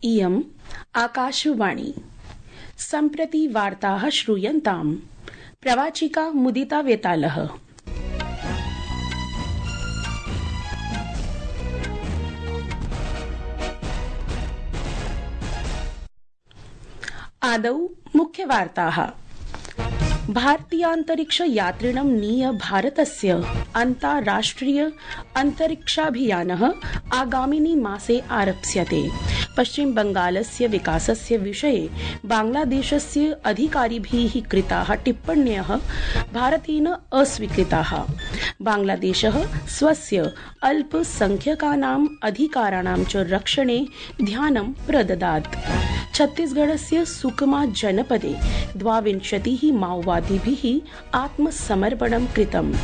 इयम् आकाशवाणी। सम्प्रति वार्ताः श्रूयन्ताम्। प्रवाचिका मुदिता वेतालः। आदौ मुख्यवार्ताः। भारतीयान्तरिक्ष यात्रिणं नीय भारतस्य अन्ताराष्ट्रिय अन्तरिक्षाभियानः आगामिनि मासे आरप्स्यते। पश्चिम बंगालस्य विकासस्य विषये बांग्लादेशस्य अधिकारिभिः कृताः टिप्पण्यः भारतेन अस्वीकृताः। बांग्लादेशः स्वस्य अल्पसंख्यकानाम् अधिकाराणां च रक्षणे ध्यानं प्रददात्। छत्तीसगढ़स्य सुकमा जनपदे 22 माओवादिभिः आत्मसमर्पणं कृतम्।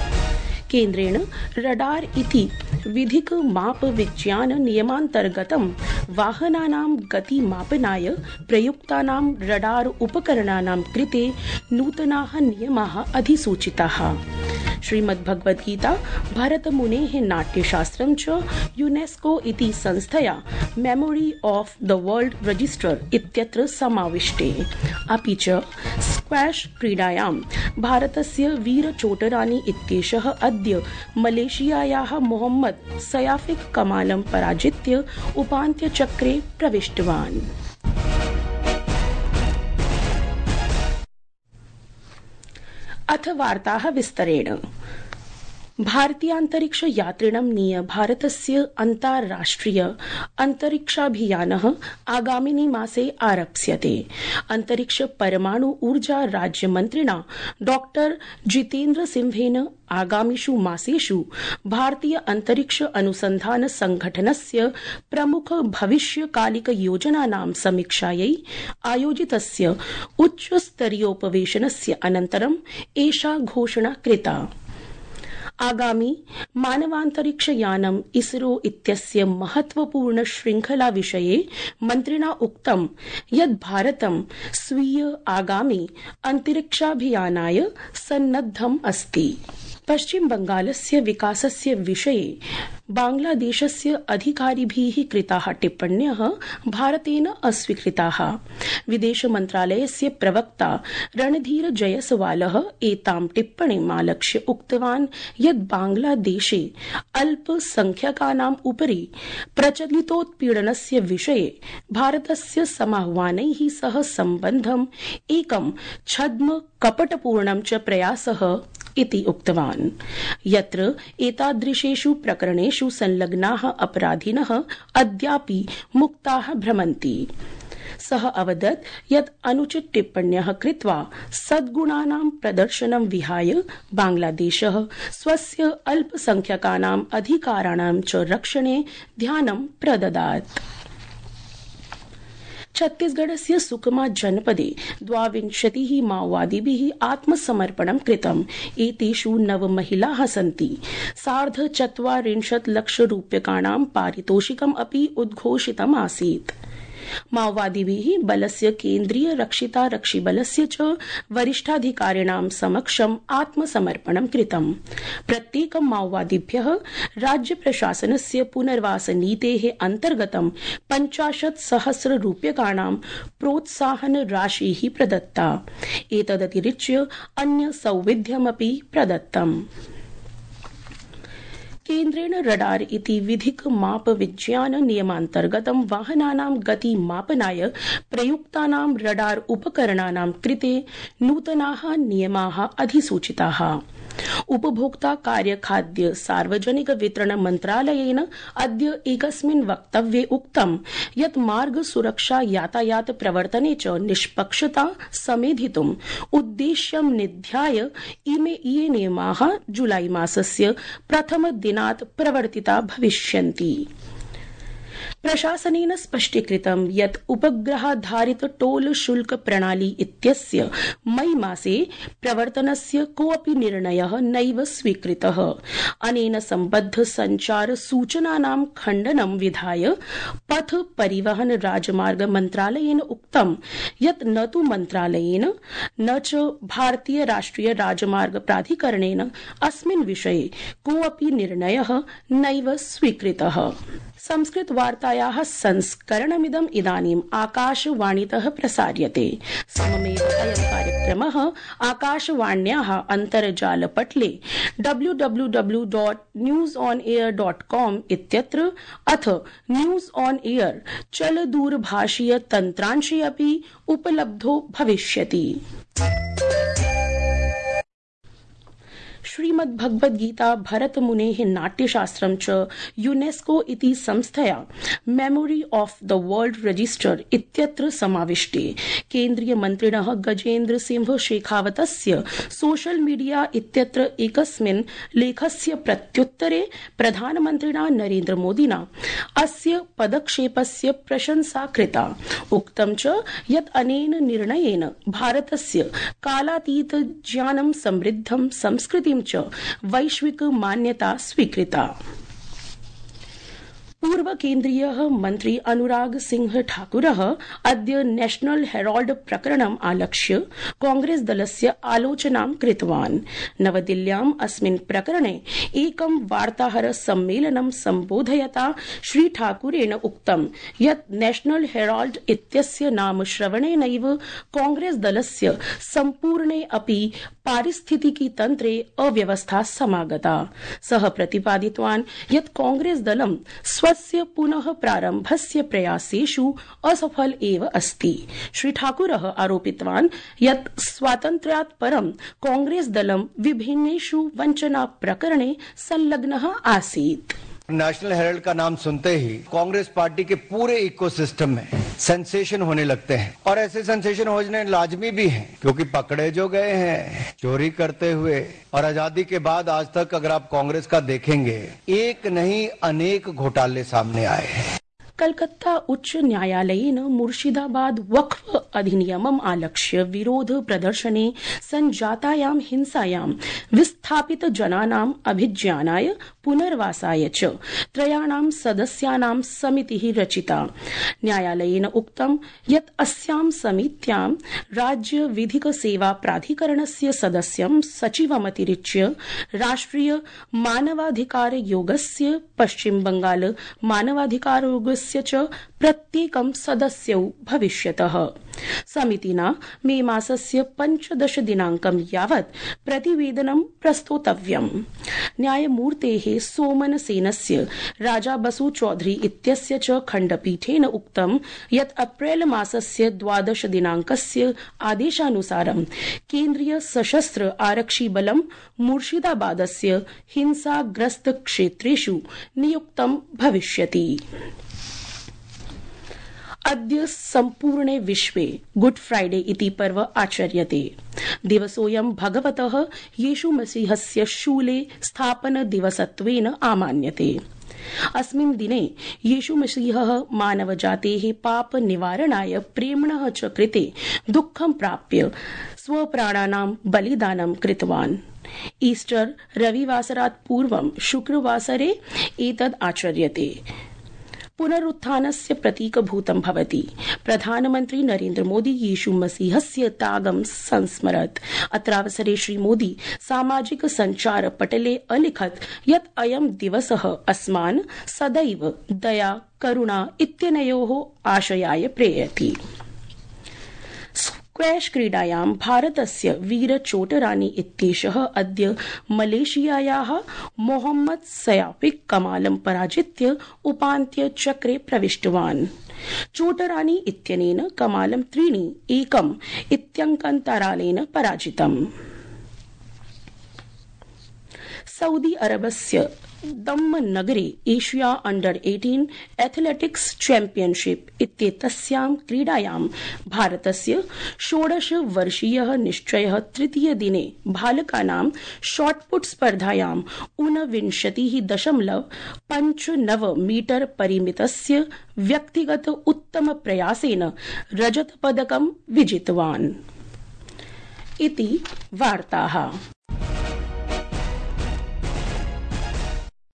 केन्द्रेण रडार इति विधिक माप विज्ञान नियमान्तर्गतं वाहनानां गतिमापनाय प्रयुक्तानां रडार उपकरणानां कृते नूतनाः नियमाः अधिसूचिताः। श्रीमद्भगवद्गीता भरतमुनेः नाट्यशास्त्रं च यूनेस्को इति संस्थया memory of the world register इत्यत्र समाविष्टे। अपि च स्क्वैश क्रीडायां भारतस्य वीरचोटरानी इत्येषः अद्य मलेशियायाः मोहम्मद सयाफिक कमालं पराजित्य उपान्त्यचक्रे प्रविष्टवान्। अथ वार्ताः विस्तरेण। भारतीयान्तरिक्ष यात्रिणं नीय भारतस्य अन्ताराष्ट्रिय अन्तरिक्षाभियानः आगामिनि मासे आरप्स्यते। अन्तरिक्ष परमाणु ऊर्जा राज्यमन्त्रिणा डॉक्टर जितेन्द्र सिंहेन आगामिषु मासेषु भारतीय अन्तरिक्ष अनुसन्धान संघटनस्य प्रमुख भविष्यकालिक योजनानां समीक्षायै आयोजितस्य उच्चस्तरीयोपवेशनस्य अनन्तरं एषा घोषणा कृता। आगामी मानवान्तरिक्षयानम् इसरो इत्यस्य महत्वपूर्ण श्रृंखला विषये मन्त्रिणा उक्तं यत् भारतं स्वीय आगामी अन्तरिक्षाभियानाय सन्नद्धम् अस्ति। पश्चिम बंगालस्य विकासस्य विषये बांग्लादेशस्य अधिकारिभिः कृताः टिप्पण्यः भारतेन अस्वीकृताः। विदेश मन्त्रालयस्य प्रवक्ता रणधीर जयसवालः एतां टिप्पणीमालक्ष्य उक्तवान् यत् बांग्लादेशे अल्पसंख्यकानाम् उपरि प्रचलितोत्पीडनस्य विषये भारतस्य समाह्वानैः सह सम्बन्धम् एकं छद्म कपटपूर्णं च प्रयासः इति उक्तवान्। यत्र एतादृशेषु प्रकरणेषु संलग्नाः अपराधिनः अद्यापि मुक्ताः भ्रमन्ति। सः अवदत् यत् अनुचित टिप्पण्यः कृत्वा सद्गुणानां प्रदर्शनं विहाय बांग्लादेशः स्वस्य अल्पसंख्यकानाम् अधिकाराणां च रक्षणे ध्यानं प्रददात्। छत्तीसगढ़स्य सुकमा जनपदे 22 माओवादिभिः आत्मसमर्पणं कृतम्। एतेषु 9 महिलाः सन्ति। 4.25 लक्षरूप्यकाणां पारितोषिकम् अपि उद्घोषितम् आसीत्। माओवादिभिः बलस्य केन्द्रीय रक्षितारक्षिबलस्य च वरिष्ठाधिकारिणां समक्षम् आत्मसमर्पणं कृतम्। प्रत्येकं माओवादिभ्यः राज्य प्रशासनस्य पुनर्वास नीतेः अन्तर्गतं 50,000 रूप्यकाणां प्रोत्साहन राशिः प्रदत्ता। एतदतिरिच्य अन्य सौविध्यमपि प्रदत्तम्। केन्द्रेण रडार इति विधिक माप विज्ञान नियमान्तर्गतं वाहनानां गतिमापनाय प्रयुक्तानां रडार उपकरणानां कृते नूतनाः नियमाः अधिसूचिताः। उपभोक्ता कार्य खाद्य सार्वजनिक वितरण मन्त्रालयेन अद्य एकस्मिन् वक्तव्ये उक्तं यत् मार्ग सुरक्षा यातायात प्रवर्तने च निष्पक्षता समेधितुम् उद्देश्यं निध्याय इमे नियमाः जुलाई मासस्य प्रथम दिनात् प्रवर्तिता भविष्यन्ति। प्रशासनेन स्पष्टीकृतं यत् उपग्रहाधारित टोल शुल्क प्रणाली इत्यस्य मई मासे प्रवर्तनस्य कोऽपि निर्णयः नैव स्वीकृतः। अनेन सम्बद्ध संचार सूचनानां खण्डनं विधाय पथ परिवहन राजमार्ग मन्त्रालयेन उक्तं यत् न तु मन्त्रालयेन न च भारतीय राष्ट्रिय राजमार्ग प्राधिकरणेन अस्मिन् विषये कोऽपि निर्णयः नैव स्वीकृतः। संस्कृतवार्तायाः संस्करणमिदम् इदानीम् आकाशवाणीतः प्रसार्यते। सममेव अयं कार्यक्रमः आकाशवाण्याः अन्तर्जालपटले www.newsonair.com इत्यत्र अथ न्यूज ऑन एयर चलदूरभाषीय तन्त्रांशे अपि उपलब्धो भविष्यति। श्रीमद्भगवद्गीता भरतमुनेः नाट्यशास्त्रं च यूनेस्को इति संस्थया memory of the world register इत्यत्र समाविष्टे केन्द्रीयमन्त्रिणः गजेन्द्र सिंह शेखावतस्य सोशल मीडिया इत्यत्र एकस्मिन् लेखस्य प्रत्युत्तरे प्रधानमन्त्रिणा नरेन्द्र मोदिना अस्य पदक्षेपस्य प्रशंसा कृता। उक्तं च यत् अनेन निर्णयेन भारतस्य कालातीत ज्ञानं समृद्धं संस्कृतिं च वैश्विक मान्यता स्वीकृता। पूर्व केन्द्रीयः मन्त्री अनुराग सिंह ठाकुरः अद्य नेशनल हेराल्ड प्रकरणम् आलक्ष्य कांग्रेस दलस्य आलोचनां कृतवान्। नवदिल्ल्याम् अस्मिन् प्रकरणे एकं वार्ताहर सम्मेलनं सम्बोधयता श्री ठाकुरेण उक्तं यत् नेशनल हेराल्ड इत्यस्य नाम श्रवणेनैव कांग्रेस दलस्य सम्पूर्णे अपि पारिस्थितिकी तन्त्रे अव्यवस्था समागता। सः प्रतिपादितवान् यत् कांग्रेस दलं स्वस्य पुनः प्रारम्भस्य प्रयासेषु असफल एव अस्ति। श्री ठाकुरः आरोपितवान् यत् स्वातन्त्र्यात् परं कांग्रेस दलं विभिन्नेषु वञ्चना प्रकरणे संलग्नः आसीत्। नेशनल हेराल्ड का नाम सुनते ही कांग्रेस पार्टी के पूरे इकोसिस्टम में सेंसेशन होने लगते हैं और ऐसे सेंसेशन होने लाजमी भी हैं क्योंकि पकड़े जो गए हैं चोरी करते हुए और आजादी के बाद आज तक अगर आप कांग्रेस का देखेंगे एक नहीं अनेक घोटाले सामने आए हैं। कलकत्ता उच्च न्यायालयेन मुर्शिदाबाद वक्फ अधिनियमम् आलक्ष्य विरोध प्रदर्शने संजातायां हिंसायां विस्थापित जनानाम् अभिज्ञानाय पुनर्वासाय च त्रयाणां सदस्यानां समितिः रचिता। न्यायालयेन उक्तं यत् अस्यां समित्यां राज्य विधिक सेवा प्राधिकरणस्य सदस्यं सचिवमतिरिच्य राष्ट्रिय मानवाधिकारयोगस्य पश्चिम बंगाल मानवाधिकारयोगस्य च प्रत्येकं सदस्यौ भविष्यतः। समितिना मे मासस्य 15 दिनाङ्कं यावत् प्रतिवेदनं प्रस्तोतव्यम्। न्यायमूर्तेः सोमन सेनस्य राजा बसु चौधरी इत्यस्य च खण्डपीठेन उक्तं यत् अप्रैल मासस्य 12 दिनाङ्कस्य आदेशानुसारं केन्द्रीय सशस्त्र आरक्षि बलं मुर्शिदाबादस्य हिंसाग्रस्त क्षेत्रेषु नियुक्तं भविष्यति। अद्य सम्पूर्णे विश्वे गुड फ्राइडे इति पर्व आचर्यते। दिवसोऽयं भगवतः येशुमसीहस्य शूले स्थापन दिवसत्वेन आमान्यते। अस्मिन् दिने येशुमसीहः मानवजातेः पाप निवारणाय प्रेम्णः च कृते दुःखं प्राप्य स्वप्राणानां बलिदानं कृतवान्। ईस्टर रविवासरात् पूर्वं शुक्रवासरे एतद् आचर्यते। पुनरुत्थानस्य प्रतीकभूतं भवति। प्रधानमन्त्री नरेन्द्र मोदी यीशु मसीहस्य त्यागं संस्मरत्। अत्रावसरे श्री मोदी सामाजिक संचार पटले अलिखत् यत् अयं दिवसः अस्मान् सदैव दया करुणा इत्यनयोः आशयाय प्रेरयति। स्क्वैश क्रीडायां भारतस्य वीर चोटरानी इत्येषः अद्य मलेशियायाः मोहम्मद सयाफिक कमालं पराजित्य उपान्त्य चक्रे प्रविष्टवान्। चोटरानी इत्यनेन कमालं 3-1 इत्यङ्कान्तरालेन पराजितम्। सऊदी अरबस्य दम्म नगरे एशिया अंडर 18 एथलेटिक्स चैंपियनशिप इत्येतस्यां क्रीडायां भारतस्य 16 वर्षीयः निश्चयः तृतीय दिने बालकानां शॉटपुट स्पर्धायां 29.59 मीटर परिमितस्य व्यक्तिगत उत्तम प्रयासेन रजतपदकं विजितवान्। इति वार्ताः।